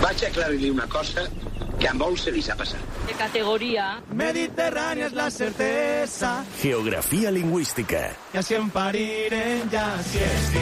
Vaig aclarir-li una cosa que a molts se li ha passat. De categoría. Mediterránea es la certeza. Geografía lingüística. Y así en parirem, ya así es.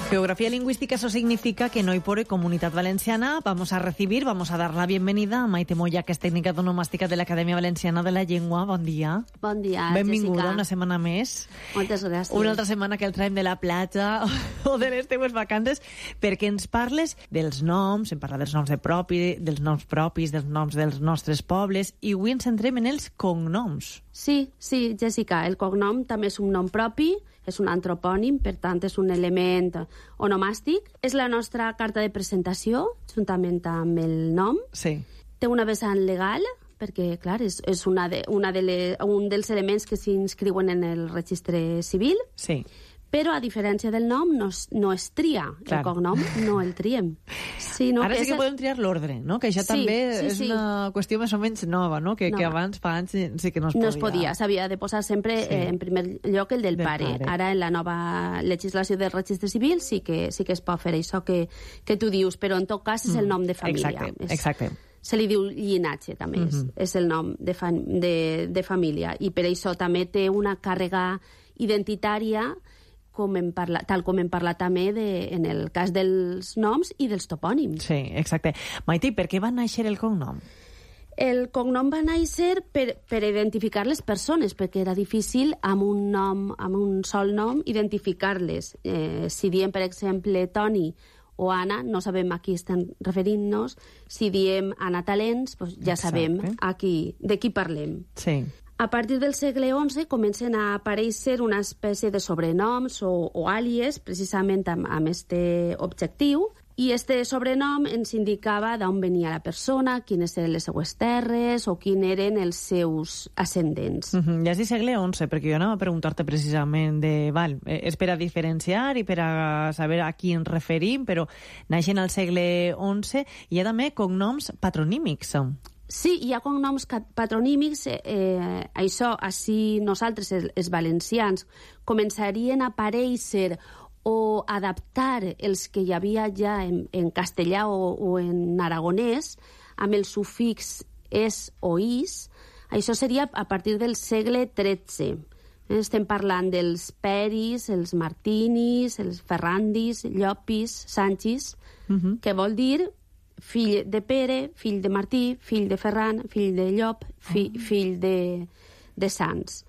Geografía lingüística, eso significa que en Hoy por Hoy Comunidad Valenciana vamos a dar la bienvenida a Maite Moya, que és tècnica onomàstica de l'Acadèmia Valenciana de la Llengua. Bon dia. Bon dia, Benvinguda Jessica. Una setmana més. Moltes gràcies. Una altra setmana que el traiem de la platja o de les teues vacances, perquè ens parles dels noms, em parla dels noms dels noms propis, dels noms dels nostres pobles, i avui ens centrem en els cognoms. Sí, Jessica, el cognom també és un nom propi, és un antropònim, per tant és un element onomàstic. És la nostra carta de presentació, juntament amb el nom. Sí. Té una vessant legal, perquè, clar, és un dels elements que s'inscriuen en el registre civil. Sí. Però, a diferència del nom, no es tria. Clar. El cognom no el triem. Ara sí que podem triar l'ordre, no? Que això també és una qüestió més o menys nova, no? Que abans, fa anys, sí que no es podia. No es podia, s'havia de posar sempre en primer lloc el del pare. Ara, en la nova legislació del registre civil, sí que es pot fer això que tu dius, però en tot cas és el nom de família. Exacte. Se li diu llinatge, també, és el nom de família. I per això també té una càrrega identitària, tal com hem parlat també en el cas dels noms i dels topònims. Sí, exacte. Maite, per què va néixer el cognom? El cognom va néixer per identificar les persones, perquè era difícil amb un sol nom identificar-les. Si diem, per exemple, Toni o Anna, no sabem a qui estan referint-nos. Si diem Anna Talents, doncs ja sabem de qui parlem. Sí. A partir del segle XI comencen a aparèixer una espècie de sobrenoms o àlies, precisament amb aquest objectiu, i este sobrenom ens indicava d'on venia la persona, quines eren les seues terres o quins eren els seus ascendents. Ja és del segle XI, perquè jo anava a preguntar-te precisament és per a diferenciar i per a saber a qui ens referim, però naixen al segle XI i hi ha també cognoms patronímics. Sí, hi ha cognoms patronímics. Això, així nosaltres, els valencians, començarien a aparèixer o adaptar els que hi havia ja en castellà o en aragonès, amb el sufix es o is. Això seria a partir del segle XIII. Estem parlant dels Peris, els Martinis, els Ferrandis, Llopis, Sanchis, que vol dir fill de Pere, fill de Martí, fill de Ferran, fill de Llop, fill de Sants.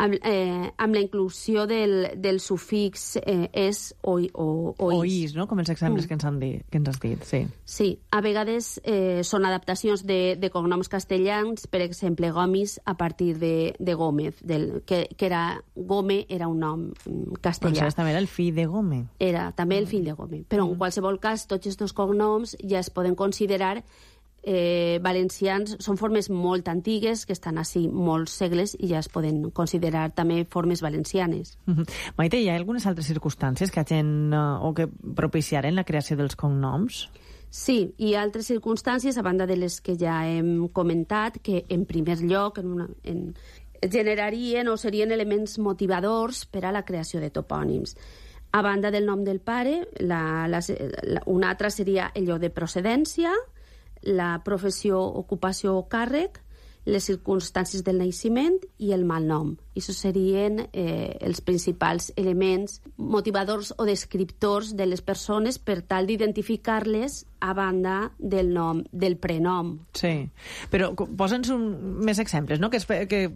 Amb la inclusió del sufix es o is. O is, no? Com els exemples que ens has dit, sí. Sí, a vegades són adaptacions de cognoms castellans, per exemple, Gomis a partir de Gómez, que era Gómez era un nom castellà. Doncs també era el fill de Gómez. Era també el fill de Gómez. Però en qualsevol cas, tots aquests cognoms ja es poden considerar valencians. Són formes molt antigues que estan així molts segles i ja es poden considerar també formes valencianes. Maite, hi ha algunes altres circumstàncies que hagin o que propiciaren la creació dels cognoms? Sí, hi ha altres circumstàncies, a banda de les que ja hem comentat, que en primer lloc generarien o serien elements motivadors per a la creació de topònims. A banda del nom del pare, una altra seria el lloc de procedència, la professió, ocupació o càrrec, les circumstàncies del naixement i el malnom. Això serien els principals elements motivadors o descriptors de les persones per tal d'identificar-les a banda del nom, del prenom. Sí, però posa'ns més exemples, no? Que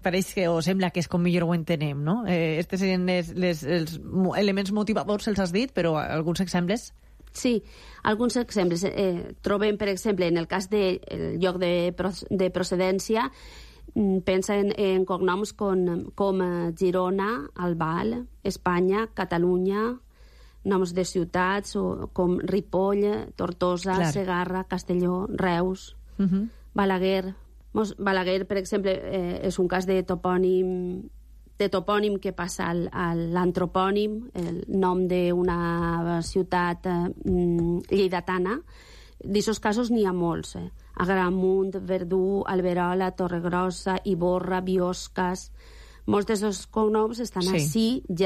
pareix que o sembla que és com millor ho entenem, no? Estes serien els elements motivadors, els has dit, però alguns exemples? Sí, alguns exemples. Trobem, per exemple, en el cas del lloc de procedència, pensa en cognoms com Girona, Albal, Espanya, Catalunya, noms de ciutats com Ripoll, Tortosa, Segarra, Castelló, Reus, Balaguer. Balaguer, per exemple, és un cas de topònim que passa a l'antropònim, el nom d'una ciutat lleidatana. D'aquests casos n'hi ha molts. Agramunt, Verdú, Alberola, Torregrossa, Ivorra, Bioscas. Molts d'aquests cognoms estan així ja